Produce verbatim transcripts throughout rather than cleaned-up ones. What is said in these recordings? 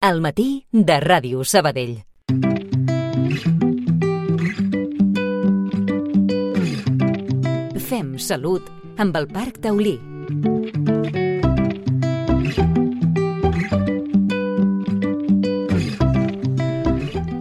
Al matí de Ràdio Sabadell. Fem salut amb el Parc Taulí.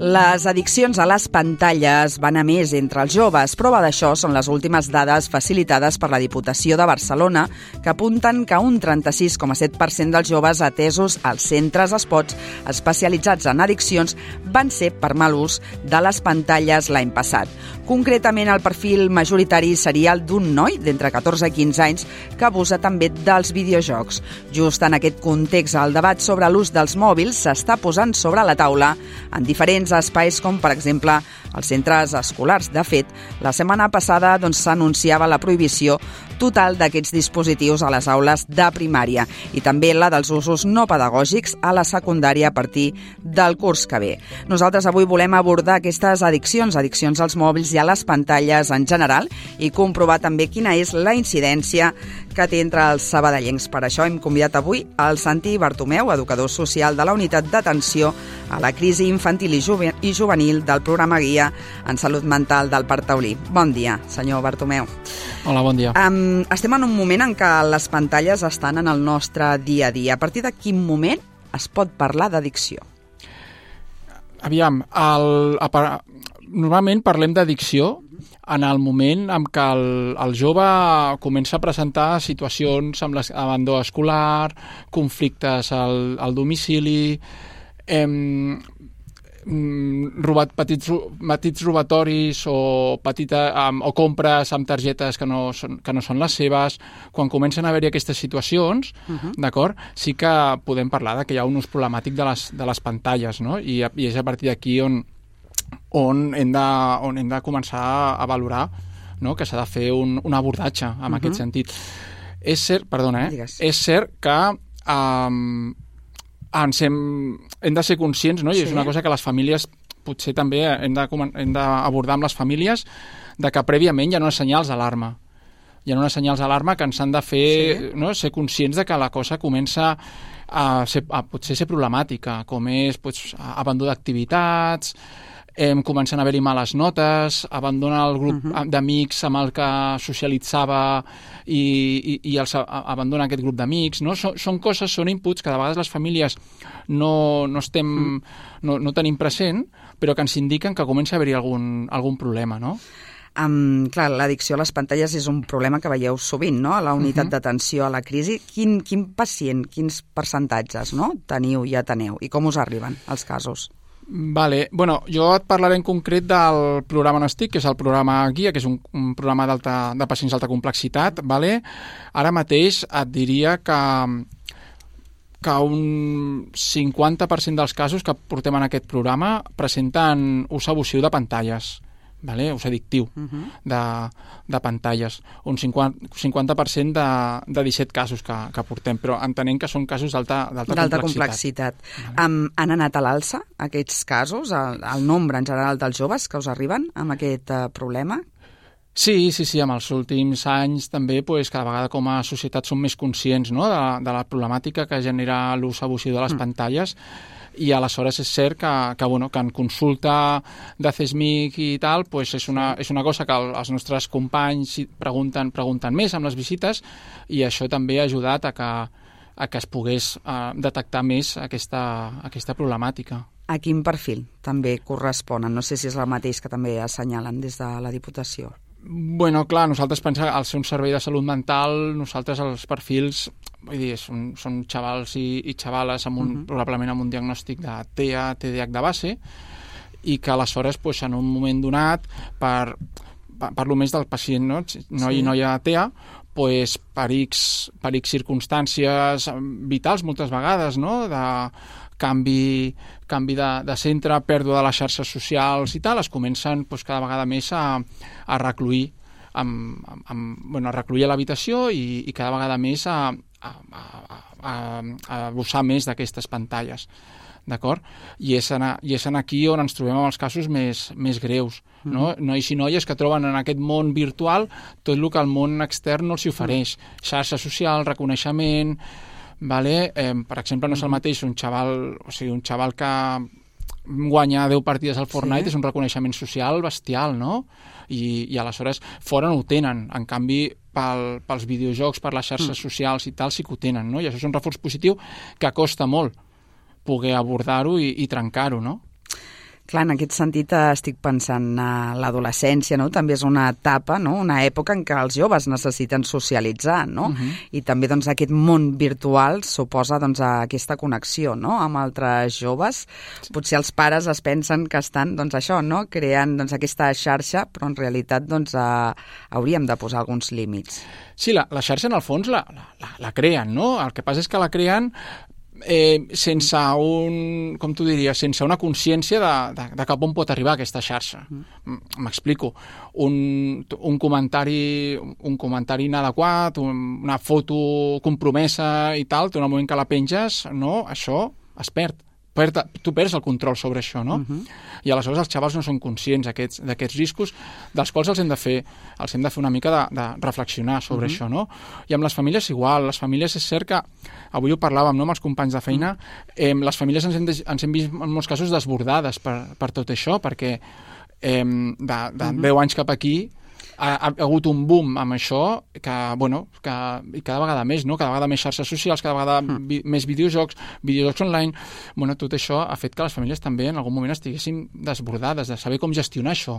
Les addiccions a les pantalles van a més entre els joves. Prova d'això són les últimes dades facilitades per la Diputació de Barcelona, que apunten que un trenta-sis coma set per cent dels joves atesos als centres esports especialitzats en addiccions van ser per mal ús de les pantalles l'any passat. Concretament, el perfil majoritari seria el d'un noi d'entre catorze i quinze anys que abusa també dels videojocs. Just en aquest context, el debat sobre l'ús dels mòbils s'està posant sobre la taula en diferents espais com, per exemple, els centres escolars. De fet, la setmana passada doncs, s'anunciava la prohibició total d'aquests dispositius a les aules de primària i també la dels usos no pedagògics a la secundària a partir del curs que ve. Nosaltres avui volem abordar aquestes addiccions, addiccions als mòbils i a les pantalles en general i comprovar també quina és la incidència que té entre els sabadellencs. Per això hem convidat avui el Santi Bartomeu, educador social de la Unitat d'Atenció a la Crisi Infantil i Juvenil del programa Guia en Salut Mental del Parc Taulí. Bon dia, senyor Bartomeu. Hola, bon dia. Um, estem en un moment en què les pantalles estan en el nostre dia a dia. A partir de quin moment es pot parlar d'addicció? Aviam, el, a, normalment parlem d'addicció en el moment en què el, el jove comença a presentar situacions amb l'abandó escolar, conflictes al, al domicili, em, robat, petits, petits robatoris o, petita, um, o compres amb targetes que no, són, que no són les seves. Quan comencen a haver-hi aquestes situacions, uh-huh. d'acord, sí que podem parlar de que hi ha un ús problemàtic de les, de les pantalles, no? I, i és a partir d'aquí on, on, hem de, on hem de començar a valorar, no? Que s'ha de fer un, un abordatge en uh-huh. aquest sentit. És cert, perdona, eh? Digues. És cert que um, ens hem, hem de ser conscients, no? I sí. És una cosa que les famílies potser també hem de, hem d'abordar amb les famílies, de que prèviament hi ha unes senyals d'alarma. Hi ha unes senyals d'alarma que ens han de fer sí. no? ser conscients de que la cosa comença a, ser, a potser ser problemàtica, com és pues, abandó d'activitats, eh, comencen a haver-hi males notes, abandona el grup uh-huh. d'amics amb el que socialitzava i, i, i els abandona aquest grup d'amics. No? Són, són coses, són inputs que de vegades les famílies no, no, estem, uh-huh. no, no tenim present, però que ens indiquen que comença a haver-hi algun, algun problema, no? Um, clar, l'addicció a les pantalles és un problema que veieu sovint, no?, a la unitat uh-huh. d'atenció a la crisi. Quin, quin pacient, quins percentatges no? teniu i ateneu i com us arriben els casos? Vale. Bueno, jo et parlaré en concret del programa on estic, que és el programa Guia, que és un, un programa de pacients d'alta complexitat. Vale? Ara mateix et diria que, que un cinquanta per cent dels casos que portem en aquest programa presenten ús abusiu de pantalles. Vale? Ús addictiu uh-huh. de, de pantalles. Un cinquanta per cent de, de disset casos que, que portem, però entenent que són casos d'alta complexitat. complexitat. Vale. Um, han anat a l'alça aquests casos, el, el nombre en general dels joves que us arriben amb aquest uh, problema? Sí, sí, sí, amb els últims anys també pues, cada vegada com a societat som més conscients, no?, de, de la problemàtica que genera l'ús abusiu de les mm. pantalles, i aleshores és cert que, que, bueno, que en consulta de C S M I C i tal pues és, una, és una cosa que els nostres companys pregunten, pregunten més amb les visites, i això també ha ajudat a que, a que es pogués uh, detectar més aquesta, aquesta problemàtica. A quin perfil també corresponen? No sé si és el mateix que també assenyalen des de la Diputació. Bueno, clar, nosaltres pensem, al ser un servei de salut mental, nosaltres els perfils, vull dir, són, són xavals i, i xavales amb un, uh-huh. probablement amb un diagnòstic de T E A, T D A H de base, i que aleshores, pues, en un moment donat, per, per, parlo més del pacient, no? Noi sí. i noia T E A, pues, per, X, per X circumstàncies vitals moltes vegades, no?, de canvi, canvi de, de centre, pèrdua de les xarxes socials i tal, es comencen pues, cada vegada més a, a recluir amb, amb, bueno, a recluir a l'habitació i, i cada vegada més a, a, a, a, a abusar més d'aquestes pantalles. D'acord? I és, en, I és en aquí on ens trobem amb els casos més, més greus. No? Mm-hmm. Nois i noies que troben en aquest món virtual tot el que el món extern no els ofereix. Xarxa social, reconeixement, vale? eh, per exemple, no és el mateix un xaval, o sigui, un xaval que guanya deu partides al Fortnite, sí. és un reconeixement social bestial, no? I, i aleshores fora no ho tenen. En canvi, pel, pels videojocs, per les xarxes mm. socials i tal, sí que ho tenen, no? I això és un reforç positiu que costa molt poder abordar-ho i, i trencar-ho, no? Clar, en aquest sentit estic pensant a l'adolescència, no? També és una etapa, no? Una època en què els joves necessiten socialitzar, no? Uh-huh. I també doncs, aquest món virtual suposa doncs, aquesta connexió, no? Amb altres joves. Potser els pares es pensen que estan doncs, això, no? Creant doncs, aquesta xarxa, però en realitat doncs, eh, hauríem de posar alguns límits. Sí, la, la xarxa en el fons la, la, la creen, no? El que passa és que la creen Eh, sense un, com tu diries, sense una consciència de, de, de cap on pot arribar aquesta xarxa. M'explico. Un, un comentari un comentari inadequat, un, una foto compromesa i tal, tu en el moment que la penges, no, això es perd. Tu perds el control sobre això, no? Uh-huh. I aleshores els xavals no són conscients d'aquests, d'aquests riscos, dels quals els hem de fer, els hem de fer una mica de, de reflexionar sobre uh-huh. això, no? I amb les famílies igual, les famílies és cert que, avui ho parlàvem, no?, amb els companys de feina, eh, les famílies ens hem, de, ens hem vist en molts casos desbordades per, per tot això, perquè eh, de, de uh-huh. deu anys cap aquí ha, ha hagut un boom amb això que, bueno, que, i cada vegada més, no? Cada vegada més xarxes socials, cada vegada mm. vi, més videojocs, videojocs online. Bueno, tot això ha fet que les famílies també en algun moment estiguessin desbordades de saber com gestionar això.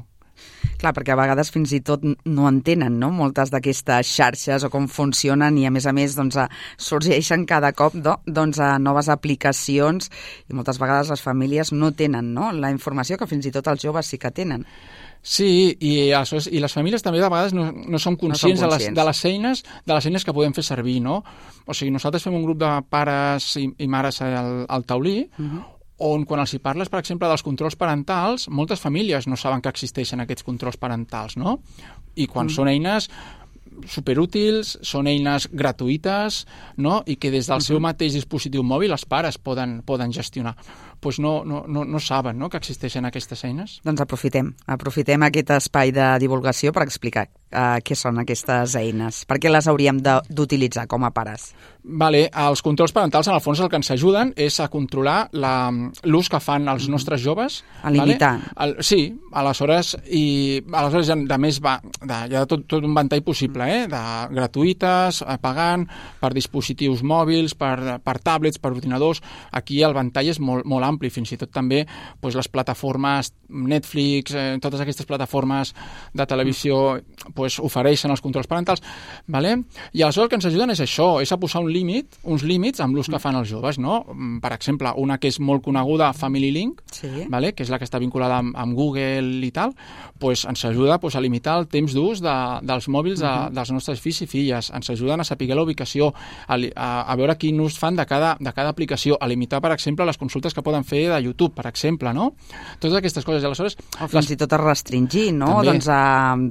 Clar, perquè a vegades fins i tot no entenen, no?, moltes d'aquestes xarxes o com funcionen i a més a més doncs, sorgeixen cada cop do, doncs, noves aplicacions i moltes vegades les famílies no tenen, no?, la informació que fins i tot els joves sí que tenen. Sí, i, i les famílies també de vegades no, no són conscients, no són conscients. De, les, de, les eines, de les eines que podem fer servir, no? O sigui, nosaltres fem un grup de pares i, i mares al, al taulí, uh-huh. on quan els hi parles, per exemple, dels controls parentals, moltes famílies no saben que existeixen aquests controls parentals, no? I quan uh-huh. són eines superútils, són eines gratuïtes, no? I que des del uh-huh. seu mateix dispositiu mòbil els pares poden, poden gestionar. Pues no, no, no, no saben, no?, que existeixen aquestes eines. Doncs aprofitem. Aprofitem aquest espai de divulgació per explicar uh, què són aquestes eines. Per què les hauríem de, d'utilitzar com a pares? Vale, els controls parentals, en el fons, el que ens ajuden és a controlar la, l'ús que fan els mm. nostres joves. A limitar. Vale? El, sí, aleshores, i aleshores ja, de més va, de, hi ha tot, tot un ventall possible, eh? De gratuïtes, pagant, per dispositius mòbils, per, per tablets, per ordinadors. Aquí el ventall és molt, molt ampli, fins i tot també doncs, les plataformes Netflix, eh, totes aquestes plataformes de televisió doncs, ofereixen els controls parentals, vale? I aleshores el que ens ajuden és això, és a posar un límit, uns límits amb l'ús que fan els joves, no? Per exemple, una que és molt coneguda, Family Link, sí. vale? Que és la que està vinculada amb, amb Google i tal, doncs, ens ajuda doncs, a limitar el temps d'ús de, dels mòbils de, uh-huh. dels nostres fills i filles, ens ajuden a saber la ubicació, a, a, a veure quin ús fan de cada, de cada aplicació, a limitar, per exemple, les consultes que poden fer de YouTube, per exemple, no? Totes aquestes coses. Aleshores, o fins les... i tot a restringir, no? També. Doncs a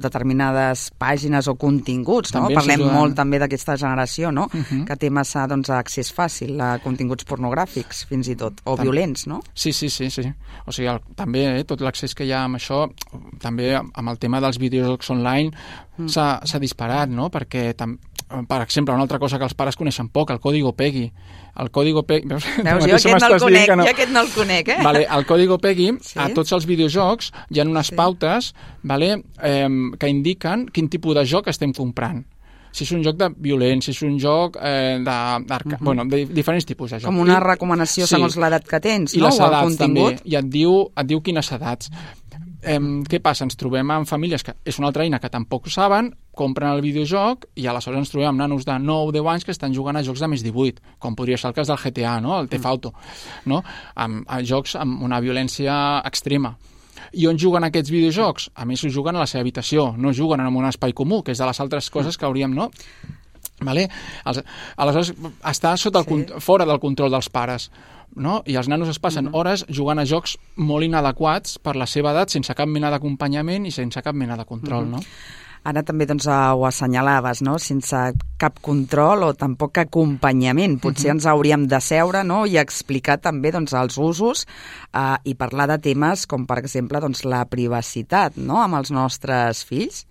determinades pàgines o continguts, també no? Parlem molt també d'aquesta generació, no? Uh-huh. Que té massa doncs, accés fàcil a continguts pornogràfics, fins i tot, o Tam... violents, no? Sí, sí, sí, sí. O sigui, el, també eh, tot l'accés que hi ha amb això, també amb el tema dels videojocs online, mm. s'ha, s'ha disparat, no? Perquè tam... per exemple, una altra cosa que els pares coneixen poc, el Código PEGI. El Código PEGI... Veus? Veus, jo aquest no el conec, no. jo aquest no el conec, eh? Vale, el Código PEGI, sí? A tots els videojocs hi ha unes sí. pautes, vale, eh, que indiquen quin tipus de joc estem comprant. Si és un joc de violent, si és un joc eh, de, uh-huh. bueno, de diferents tipus de joc. Com una recomanació sí. segons l'edat que tens, I no? les o edats, el contingut. també, i et diu, et diu quines edats. Eh, què passa? Ens trobem amb famílies que és una altra eina que tampoc saben, compren el videojoc i aleshores ens trobem amb nanos de nou o deu anys que estan jugant a jocs de més divuit, com podria ser el cas del G T A, no? El Theft Auto, no? Amb, a jocs amb una violència extrema. I on juguen aquests videojocs? A més, ho juguen a la seva habitació, no juguen en un espai comú, que és de les altres coses que hauríem, no? Vale? Aleshores, està sota el, sí. fora del control dels pares. No? I els nanos es passen uh-huh. hores jugant a jocs molt inadequats per la seva edat, sense cap mena d'acompanyament i sense cap mena de control, uh-huh. no? Ara també doncs, ho assenyalaves, no? Sense cap control o tampoc acompanyament. Potser uh-huh. ens hauríem de seure, no? I explicar també doncs, els usos eh, i parlar de temes com, per exemple, doncs, la privacitat, no? Amb els nostres fills.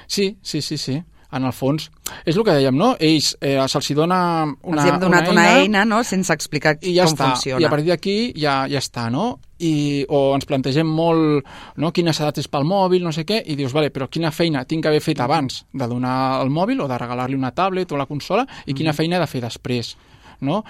Sí, sí, sí, sí. en el fons, és el que dèiem, no? Ells eh, se'ls dona una, Els hem donat una una eina, una eina no? Sense explicar i ja com està. funciona. I a partir d'aquí ja, ja està, no? I, o ens plantegem molt, no? Quines edats és pel mòbil, no sé què, i dius, vale, però quina feina tinc que haver fet abans de donar el mòbil o de regalar-li una tablet o la consola i quina feina he de fer després, no?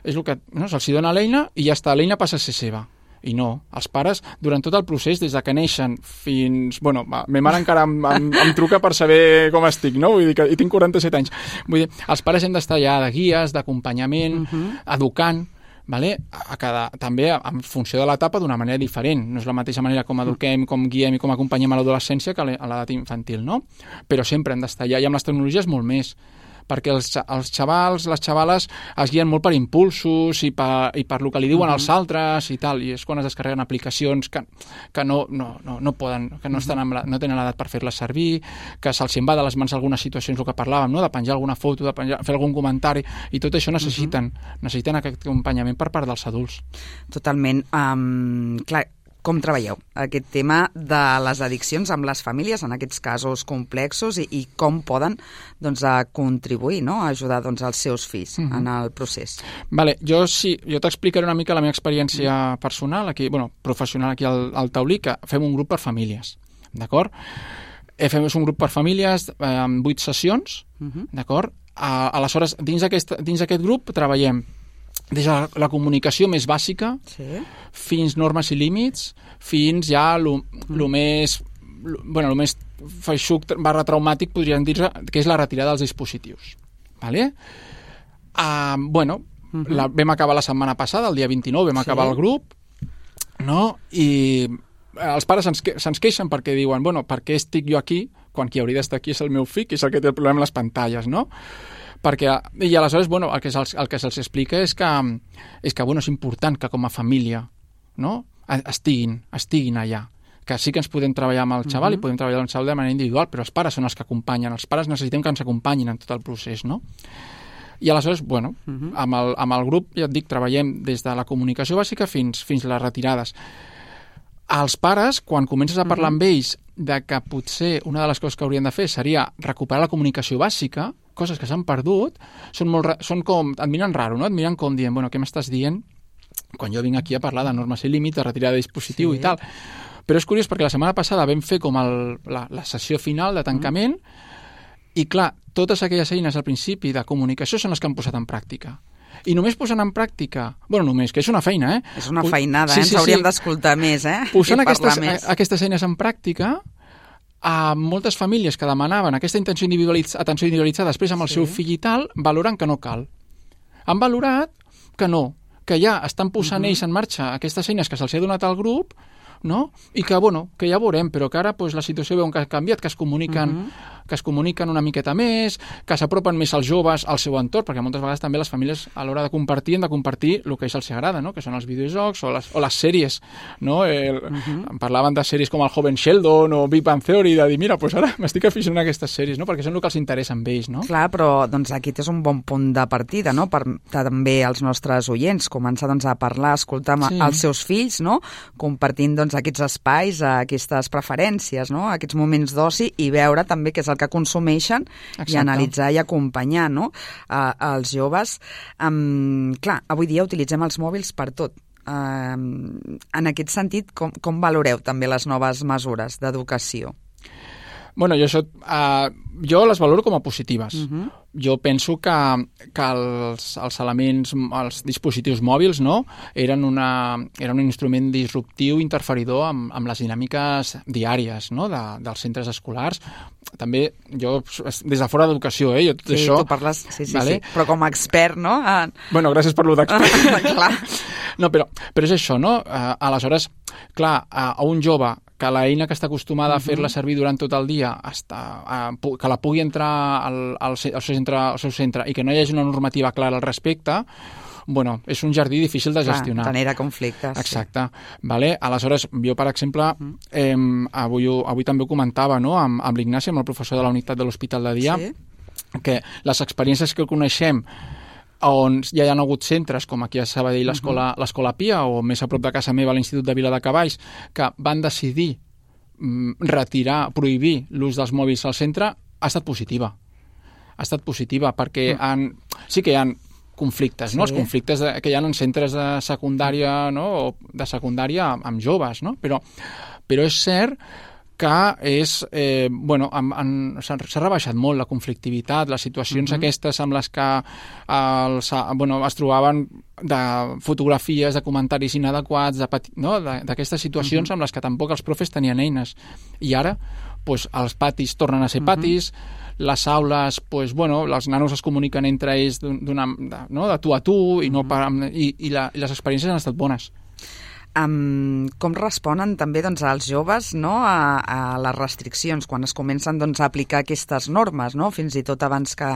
És el que, no? Se'ls dona l'eina i ja està, l'eina passa a ser seva. I no, els pares, durant tot el procés, des de que neixen fins... Bueno, ma mare encara em, em, em truca per saber com estic, no? Vull dir que i tinc quaranta-set anys. Vull dir, els pares hem d'estar ja de guies, d'acompanyament, uh -huh. educant, vale? A cada, també en funció de l'etapa d'una manera diferent. No és la mateixa manera com eduquem, com guiem i com acompanyem a l'adolescència que a l'edat infantil, no? Però sempre hem d'estar allà, i amb les tecnologies molt més, perquè els, els xavals, les xavales es guien molt per impulsos i per, i per el que li diuen uh -huh. els altres i tal, i és quan es descarreguen aplicacions que, que no, no, no, no poden, que no, estan amb la, no tenen l'edat per fer-les servir, que se'ls en va de les mans algunes situacions, el que parlàvem, no? De penjar alguna foto, de penjar, fer algun comentari, i tot això necessiten, uh -huh. necessiten aquest acompanyament per part dels adults. Totalment. Um, clar, com treballeu aquest tema de les addiccions amb les famílies en aquests casos complexos i, i com poden doncs, a contribuir, no? A ajudar doncs, els seus fills uh -huh. en el procés? Vale, jo sí, jo t'explicaré una mica la meva experiència personal, aquí, bueno, professional aquí al, al Taulí, que fem un grup per famílies, d'acord? Fem un grup per famílies eh, amb vuit sessions, uh -huh. d'acord? Aleshores, dins aquest, dins aquest grup treballem des de la comunicació més bàsica sí. fins normes i límits, fins ja el mm. més, lo, bueno, el més feixuc barra traumàtic, podríem dir que és la retirada dels dispositius. Vale? Uh, bueno, mm-hmm. la, vam acabar la setmana passada, el dia vint-i-nou, vam sí. acabar el grup, no? I els pares se'ns se queixen perquè diuen, bueno, per què estic jo aquí quan qui hauria d'estar aquí és el meu fill, que és el que té el problema amb les pantalles, no? Perquè, i aleshores, bueno, el que se'ls el que se'ls explica és que, és que, bueno, és important que com a família, no?, estiguin, estiguin allà. Que sí que ens podem treballar amb el xaval uh -huh. i podem treballar amb el xaval de manera individual, però els pares són els que acompanyen, els pares necessitem que ens acompanyin en tot el procés, no? I aleshores, bueno, uh -huh. amb, el, amb el grup, ja et dic, treballem des de la comunicació bàsica fins, fins les retirades. Els pares, quan comences a parlar uh -huh. amb ells de que potser una de les coses que haurien de fer seria recuperar la comunicació bàsica, coses que s'han perdut, són, molt, són com, et miren raro, no? Et miren com dient, bueno, què m'estàs dient quan jo vinc aquí a parlar de normes i límits, de retirada de dispositiu sí. i tal. Però és curiós perquè la setmana passada vam fer com el, la, la sessió final de tancament mm. i clar, totes aquelles eines al principi de comunicació són les que han posat en pràctica. I només posant en pràctica, bueno, només, que és una feina, eh? És una feinada, sí, eh? Ens sí, hauríem sí. d'escoltar més, eh? Posant aquestes, més. aquestes eines en pràctica, a moltes famílies que demanaven aquesta intenció individualitz atenció individualitzada després amb el sí. seu fill i tal, valoren que no cal. Han valorat que no, que ja estan posant uh -huh. ells en marxa aquestes eines que se'ls ha donat al grup, no? I que, bueno, que ja veurem, però que ara pues, la situació veuen que ha canviat, que es comuniquen, uh -huh. que es comuniquen una miqueta més, que s'apropen més als joves al seu entorn, perquè moltes vegades també les famílies a l'hora de compartir han de compartir el que ells els agrada, no? Que són els videojocs o les, o les sèries, no? El, uh -huh. Parlaven de sèries com el Joven Sheldon o Big Bang Theory, de dir, mira, pues ara m'estic aficionant a aquestes sèries, no? Perquè són el que els interessa amb ells, no? Clar, però doncs, aquest és un bon punt de partida, no? Per també els nostres oients, començar doncs, a parlar, a escoltar sí. els seus fills, no? Compartint doncs, aquests espais, aquestes preferències, no? Aquests moments d'oci i veure també què és el que consumeixen Exacte. I analitzar i acompanyar, no? Uh, els joves. Um, clar, avui dia utilitzem els mòbils per tot. Uh, en aquest sentit, com, com valoreu també les noves mesures d'educació? Bueno, jo, això, uh, jo les valoro com a positives. Uh -huh. Jo penso que, que els, els elements, els dispositius mòbils, no?, eren, una, eren un instrument disruptiu, interferidor amb, amb les dinàmiques diàries, no?, de, dels centres escolars. També, jo, des de fora d'educació, eh, jo tot sí, això... tu parles, sí, sí, vale? sí, però com a expert, no? En... Bueno, gràcies per lo d'expert. Clar. No, però, però és això, no? Uh, aleshores, clar, a, a un jove que l'eina que està acostumada uh -huh. a fer-la servir durant tot el dia, està, uh, que la pugui entrar al, al, al, seu centre, al seu centre i que no hi hagi una normativa clara al respecte, bueno, és un jardí difícil de gestionar. Clar, genera conflictes. Exacte. Sí. Vale? Aleshores, jo, per exemple, uh-huh. eh, avui, avui també ho comentava, no?, amb, amb l'Ignasi, amb el professor de la unitat de l'Hospital de Dia, sí. que les experiències que coneixem on ja hi ha hagut centres, com aquí a Sabadell l'escola uh-huh. l'Escola Pia, o més a prop de casa meva l'Institut de Viladecavalls, que van decidir mm, retirar, prohibir l'ús dels mòbils al centre, ha estat positiva. ha estat positiva, perquè mm. han, sí que hi ha conflictes, sí. no? Els conflictes de, que hi ha en centres de secundària, no? O de secundària amb, amb joves, no? Però, però és cert que és, eh, bueno, han, han, s'ha, s'ha rebaixat molt la conflictivitat, les situacions uh-huh. aquestes amb les que els, bueno, es trobaven de fotografies, de comentaris inadequats, de pati, no? d'aquestes situacions uh-huh. amb les que tampoc els profes tenien eines. I ara pues, els patis tornen a ser patis, uh-huh. les aules, pues, bueno, els nanos es comuniquen entre ells d'una, de, no? de tu a tu, i, no per, i, i, la, i les experiències han estat bones. Um, com responen també doncs, els joves, no, a, a les restriccions quan es comencen doncs, a aplicar aquestes normes, no? Fins i tot abans que,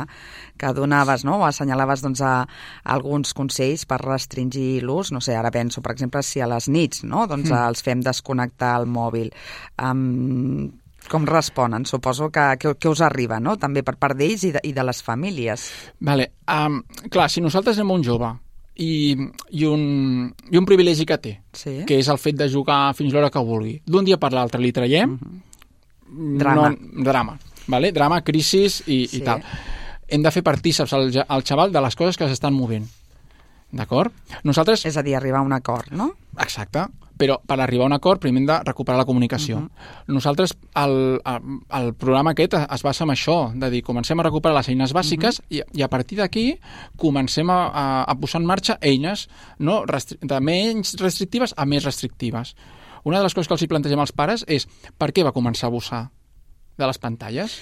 que donaves, no, o assenyalaves doncs, a, a alguns consells per restringir l'ús, no sé, ara penso, per exemple, si a les nits, no, doncs, mm. els fem desconnectar el mòbil. Um, com responen? Suposo que, que, que us arriba, no?, també per part d'ells i, de, i de les famílies. Vale. Um, clar, si nosaltres anem a un jove I, i, un, i un privilegi que té, sí. que és el fet de jugar fins l'hora que vulgui. D'un dia per l'altre li traiem uh-huh. drama, no, drama, vale? drama, crisis i, sí. i tal. Hem de fer partíceps al, al xaval de les coses que s'estan movent. D'acord? Nosaltres... És a dir, arribar a un acord, no? Exacte. Però per arribar a un acord primer hem de recuperar la comunicació. Uh-huh. Nosaltres, el, el programa aquest es basa en això, de dir, comencem a recuperar les eines bàsiques uh-huh. i, i a partir d'aquí comencem a, a, a posar en marxa eines, no? Restri- de menys restrictives a més restrictives. Una de les coses que els hi plantegem als pares és per què va començar a abusar de les pantalles?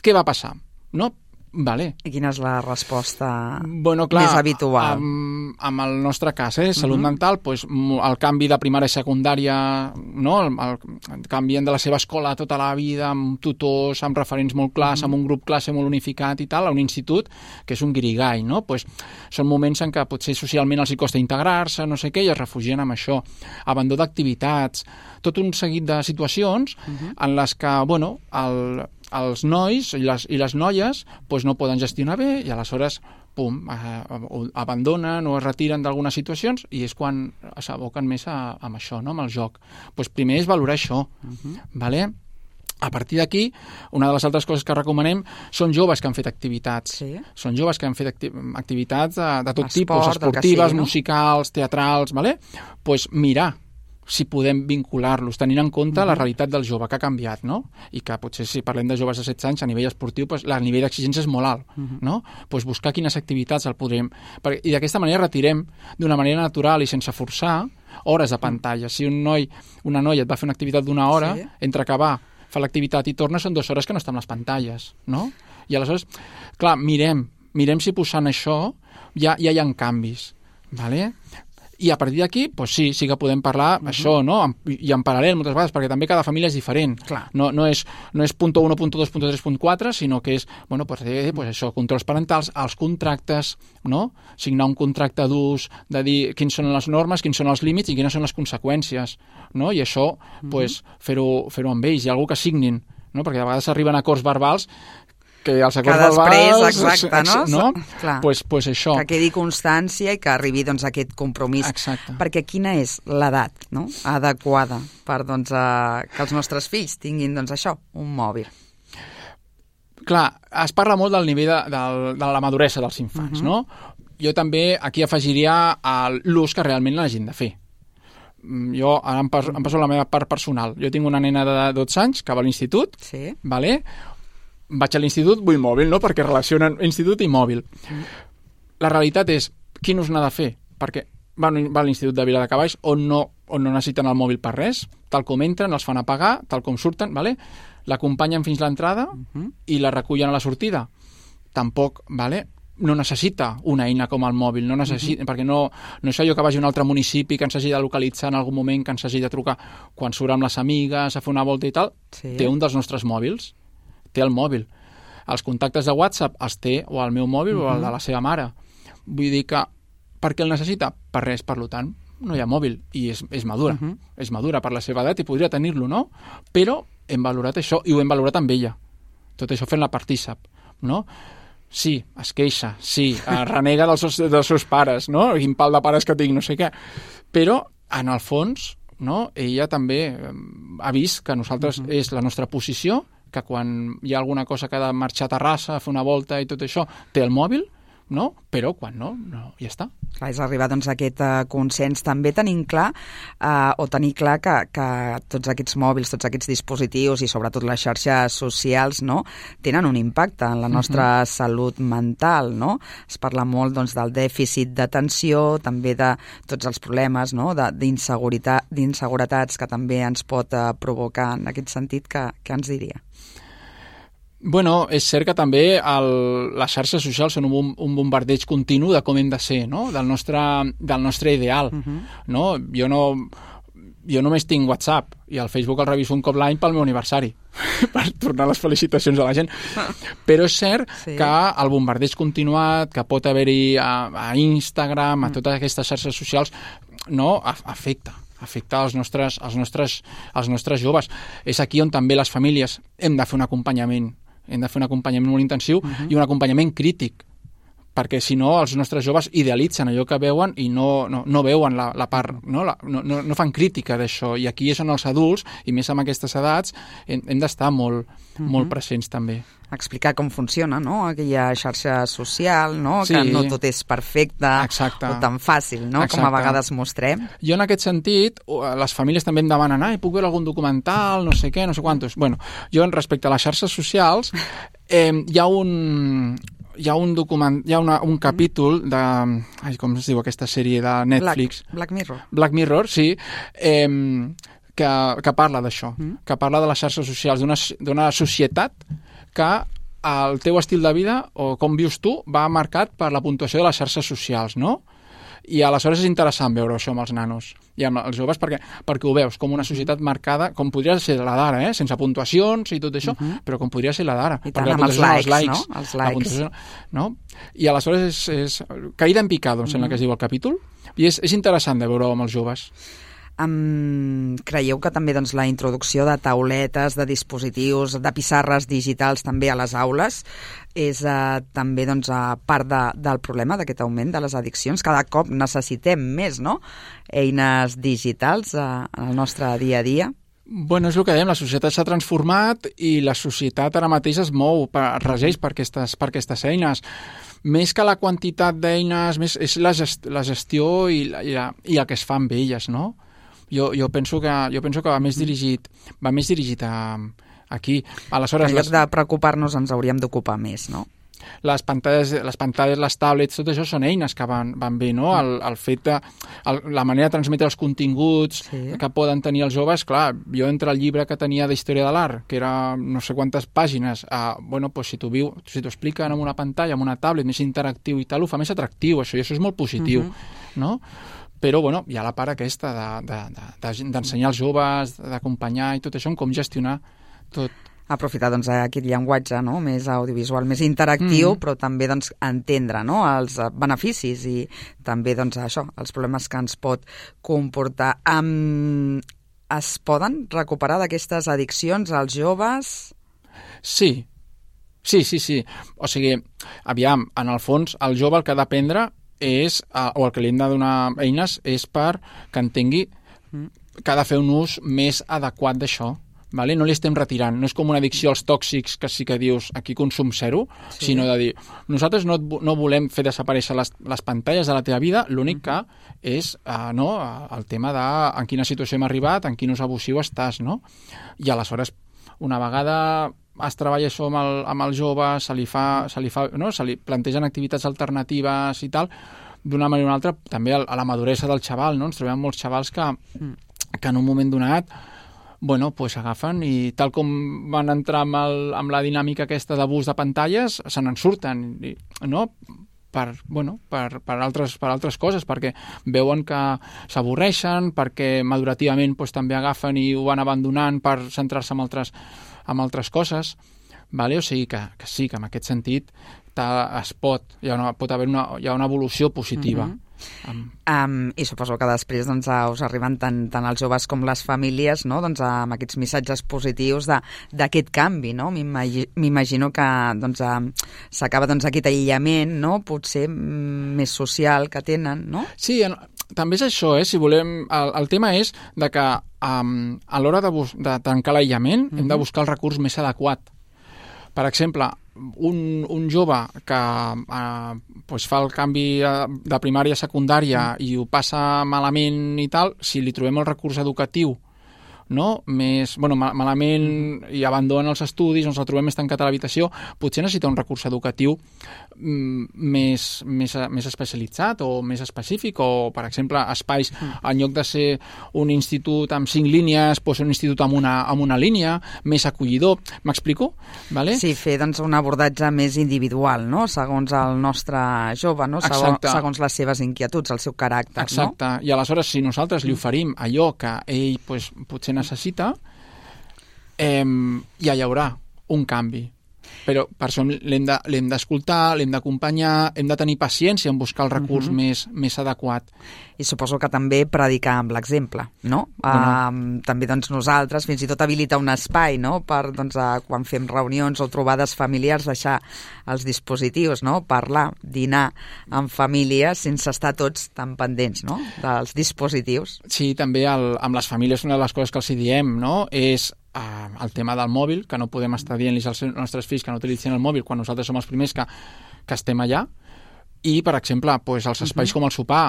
Què va passar? No? Vale. I quina és la resposta bueno, clar, més habitual? Amb, amb el nostre cas, eh, salut uh-huh. mental, pues, el canvi de primària i secundària, no? el, el, canvien de la seva escola tota la vida, amb tutors, amb referents molt clars, uh-huh. amb un grup classe molt unificat i tal, a un institut que és un guirigall, no? Pues, són moments en què potser socialment els hi costa integrar-se, no sé què, i es refugien amb això. Abandó d'activitats, tot un seguit de situacions uh-huh. en les que, bueno, el... els nois i les, i les noies pues, no poden gestionar bé i aleshores pum, eh, abandonen o es retiren d'algunes situacions i és quan s'aboquen més a, a això, no? Amb el joc. Pues primer és valorar això. Uh-huh. Vale? A partir d'aquí, una de les altres coses que recomanem són joves que han fet activitats. Sí. Són joves que han fet acti- activitats de, de tot Esport, tipus, esportives, sigui, no? musicals, teatrals, vale? Pues mirar si podem vincular-los, tenint en compte uh-huh. la realitat del jove, que ha canviat, no? I que potser si parlem de joves de setze anys, a nivell esportiu, pues, el nivell d'exigència és molt alt, uh-huh. no? Pues buscar quines activitats el podrem... I d'aquesta manera retirem d'una manera natural i sense forçar hores de pantalla. Si un noi, una noia et va fer una activitat d'una hora, sí. entre acabar, fa l'activitat i torna, són dues hores que no estan les pantalles, no? I aleshores, clar, mirem, mirem si posant això ja, ja hi ha canvis, vale? I a partir d'aquí, pues sí, sí que podem parlar uh-huh. això, no? I en paral·lel moltes vegades, perquè també cada família és diferent. Clar. No, no és, no és punt u, punt dos, punt tres, punt quatre, sinó que és, bueno, pues, eh, pues això, controls parentals, els contractes, no? Signar un contracte d'ús, de dir quins són les normes, quins són els límits i quines són les conseqüències, no? I això, uh-huh. pues, fer-ho, fer-ho amb ells, i algú que signin, no? Perquè a vegades arriben a acords verbals que els acords que després, verbals... exacte, no? no? Clar, pues, pues això. Que quedi constància i que arribi doncs, aquest compromís. Exacte. Perquè quina és l'edat, no?, adequada per doncs, a, que els nostres fills tinguin doncs, això, un mòbil? Clar, es parla molt del nivell de, de, de la maduresa dels infants, uh-huh. no? Jo també aquí afegiria l'ús que realment l'hagin de fer. Jo, ara em passo, em passo la meva part personal. Jo tinc una nena de dotze anys que va a l'institut, sí. vale? Vaig a l'institut, vull mòbil, no? Perquè relacionen institut i mòbil. Mm. La realitat és, quin ús n'ha de fer? Perquè va, va a l'institut de Viladecavalls on no, on no necessiten el mòbil per res, tal com entren, els fan apagar, tal com surten, vale? L'acompanyen fins l'entrada mm-hmm. i la recullen a la sortida. Tampoc, vale? No necessita una eina com el mòbil, no necessita, mm-hmm. perquè no, no és allò que vagi a un altre municipi, que ens hagi de localitzar en algun moment, que ens hagi de trucar quan surt amb les amigues, a fer una volta i tal. Sí. Té un dels nostres mòbils, té el mòbil. Els contactes de WhatsApp els té o el meu mòbil uh-huh. o el de la seva mare. Vull dir que, per què el necessita? Per res, per tant, no hi ha mòbil. I és, és madura. Uh-huh. És madura per la seva edat i podria tenir-lo, no? Però hem valorat això i ho hem valorat amb ella. Tot això fent la partícip, no? Sí, es queixa, sí, renega dels seus, dels seus pares, no? Quin pal de pares que tinc, no sé què. Però, en el fons, no? Ella també ha vist que nosaltres uh-huh. és la nostra posició, que quan hi ha alguna cosa que ha de marxar a Terrassa, a fer una volta i tot això, té el mòbil, no? Però quan no, no ja està. Clar, és arribar doncs, a aquest uh, consens. També tenim clar, uh, o tenir clar que, que tots aquests mòbils, tots aquests dispositius i sobretot les xarxes socials, no?, tenen un impacte en la nostra uh-huh. salut mental, no? Es parla molt doncs, del dèficit d'atenció, també de tots els problemes, no?, d'inseguretat, d'inseguretats que també ens pot uh, provocar. En aquest sentit, què, què ens diria? Bueno, és cert que també el, les xarxes socials són un, un bombardeig continu de com hem de ser, no?, del nostre, del nostre ideal. Uh-huh. No? Jo no... Jo només tinc WhatsApp i el Facebook el reviso un cop l'any pel meu aniversari per tornar les felicitacions a la gent. Però és cert sí. que el bombardeig continuat que pot haver-hi a, a Instagram, a totes aquestes xarxes socials, no, afecta. afecta els nostres, els, nostres, els nostres joves. És aquí on també les famílies hem de fer un acompanyament. Hem de fer un acompanyament molt intensiu uh-huh. i un acompanyament crític, perquè si no els nostres joves idealitzen allò que veuen i no, no, no veuen la, la part, no, la, no, no, no fan crítica d'això, i aquí és on els adults, i més amb aquestes edats, hem, hem d'estar molt, uh-huh. molt presents també. Explicar com funciona, no?, aquella xarxa social, no?, sí. que no tot és perfecte Exacte. o tan fàcil, no?, Exacte. com a vegades mostrem. Jo en aquest sentit, les famílies també em demanen, ai, puc veure algun documental, no sé què, no sé quantos. Bueno, jo respecte a les xarxes socials, eh, hi ha un... Hi ha un document, hi ha una, un capítol de... Ai, com es diu aquesta sèrie de Netflix? Black, Black Mirror. Black Mirror, sí, eh, que, que parla d'això, mm. que parla de les xarxes socials, d'una societat que el teu estil de vida o com vius tu va marcat per la puntuació de les xarxes socials, no? I aleshores és interessant veure això amb els nanos i amb els joves perquè, perquè ho veus com una societat marcada, com podria ser la d'ara, eh? sense puntuacions i tot això, uh-huh. però com podria ser la d'ara. I tant, amb els likes, likes, no? Els likes. No? I aleshores és, és caïda en picado, em sembla uh-huh. que es diu el capítol, i és, és interessant de veure amb els joves. Um, creieu que també doncs, la introducció de tauletes, de dispositius, de pissarres digitals també a les aules és uh, també doncs, uh, part de, del problema d'aquest augment de les addiccions? Cada cop necessitem més, no?, eines digitals uh, en el nostre dia a dia. Bueno, és el que dèiem, la societat s'ha transformat i la societat ara mateix es mou, es regeix per aquestes, per aquestes eines. Més que la quantitat d'eines, més és la, gest, la gestió i, la, i, la, i el que es fa amb elles, no? Jo, jo, penso que, jo penso que va més dirigit, va més dirigit a, aquí. Aleshores, en lloc de preocupar-nos ens hauríem d'ocupar més, no? Les pantalles, les pantalles, les tablets, tot això són eines que van, van bé, no? El, el fet de... El, la manera de transmetre els continguts sí. que poden tenir els joves, clar, jo entre el llibre que tenia d'Història de l'Art, que era no sé quantes pàgines, a, bueno, pues si t'ho viu, si t'ho expliquen en una pantalla, en una tablet, més interactiu i tal, ho fa més atractiu, això, i això és molt positiu, uh-huh. no? Però, bueno, hi ha la part aquesta d'ensenyar de, de, de, als joves, d'acompanyar i tot això, com gestionar tot. Aprofitar doncs, aquest llenguatge no? més audiovisual, més interactiu, mm. però també doncs, entendre no? els beneficis i també doncs, això, els problemes que ens pot comportar. Um, es poden recuperar d'aquestes addiccions als joves? Sí, sí, sí, sí. O sigui, aviam, en el fons, el jove el que ha d'aprendre és, o el que li hem de donar eines és per que entengui que ha de fer un ús més adequat d'això. Vale? No li estem retirant, no és com una addicció als tòxics que sí que dius aquí consum zero, sí. sinó de dir nosaltres no, no volem fer desaparèixer les, les pantalles de la teva vida, l'únic que és uh, no, el tema de en quina situació hem arribat, en quin ús abusiu estàs, no? I aleshores, una vegada es treballa això amb el, amb el jove, se li fa, se li fa, no? se li plantegen activitats alternatives i tal, d'una manera o una altra, també a la maduresa del xaval, no? Ens trobem molts xavals que, que en un moment donat bueno, pues agafen i tal com van entrar amb, el, amb la dinàmica aquesta d'abús de pantalles, se n'en surten, no? Per, bueno, per, per, altres, per altres coses, perquè veuen que s'avorreixen, perquè madurativament pues, també agafen i ho van abandonant per centrar-se en altres, en altres coses. Vale? O sigui que, que sí, que en aquest sentit es pot, hi ha una, pot haver una, hi ha una evolució positiva. Mm-hmm. Um. Um, I suposo que després doncs, us arriben tant, tant els joves com les famílies no? doncs, amb aquests missatges positius d'aquest canvi. No? M'imagino que doncs, s'acaba doncs, aquest aïllament no? potser més social que tenen, no? Sí, en, també és això, eh? Si volem... El, el tema és de que um, a l'hora de, bus... de tancar l'aïllament mm-hmm. hem de buscar el recurs més adequat. Per exemple, un, un jove que eh, pues fa el canvi de primària a secundària mm. i ho passa malament i tal, si li trobem el recurs educatiu no? més, bueno, malament mm. i abandona els estudis, ens el trobem més tancat a l'habitació, potser necessita un recurs educatiu mm, més, més, més especialitzat o més específic, o per exemple espais, mm. en lloc de ser un institut amb cinc línies, pot ser un institut amb una, amb una línia, més acollidor. M'explico? Vale? Sí, fer doncs, un abordatge més individual, no? Segons el nostre jove, no? Segons, segons les seves inquietuds, el seu caràcter. Exacte, no? I aleshores si nosaltres li oferim allò que ell pues, potser necessita, eh, ja hi haurà un canvi. Però per això l'hem de, l'hem d'escoltar, l'hem d'acompanyar, hem de tenir paciència en buscar el recurs uh-huh. més, més adequat. I suposo que també predicar amb l'exemple, no? Bueno. Uh, també doncs, nosaltres, fins i tot habilitar un espai, no? Per, doncs, uh, quan fem reunions o trobades familiars, deixar els dispositius, no? Parlar, dinar en família sense estar tots tan pendents, no? Dels dispositius. Sí, també el, amb les famílies una de les coses que els hi diem, no? És Uh, el tema del mòbil, que no podem estar dient-los als nostres fills que no utilitzin el mòbil quan nosaltres som els primers que, que estem allà, i per exemple pues, els espais uh-huh. com el sopar,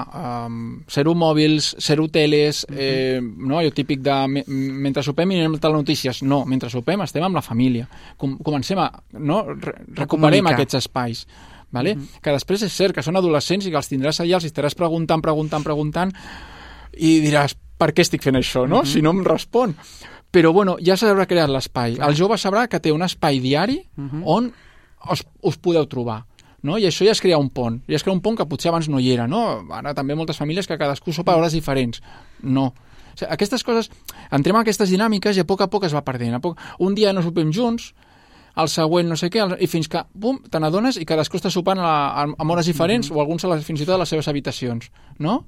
um, zero mòbils, zero teles, uh-huh. eh, no? Allò típic de me, mentre sopem i anem a telenotícies. No, mentre sopem estem amb la família. Com, comencem a... No? Re, recuperem aquests espais. Vale? Uh-huh. Que després és cert que són adolescents i que els tindràs allà, els estaràs preguntant, preguntant, preguntant i diràs, per què estic fent això, no? Uh-huh. Si no em respon. Però, bueno, ja s'haurà creat l'espai. El jove sabrà que té un espai diari uh-huh. on us, us podeu trobar. No? I això ja es crea un pont. Ja es crea un pont que potser abans no hi era. No? Ara també moltes famílies que cadascú sopa a hores diferents. No. O sigui, aquestes coses, entrem en aquestes dinàmiques i a poc a poc es va perdent. A poc, un dia no sopem junts, el següent no sé què, i fins que, bum, te n'adones i cadascú està sopant a, a, a hores diferents uh-huh. o alguns a les, fins i tot a les seves habitacions. No?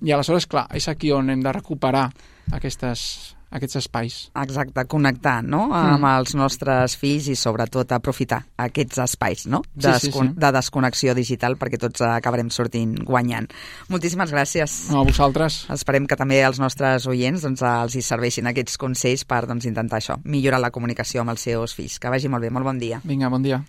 I aleshores, clar, és aquí on hem de recuperar aquestes... aquests espais. Exacte, connectar, no?, amb mm. els nostres fills i sobretot aprofitar aquests espais, no?, de, sí, sí, sí. de desconnexió digital perquè tots acabarem sortint guanyant. Moltíssimes gràcies. No, a vosaltres. Esperem que també els nostres oients doncs, els hi serveixin aquests consells per doncs, intentar això, millorar la comunicació amb els seus fills. Que vagi molt bé, molt bon dia. Vinga, bon dia.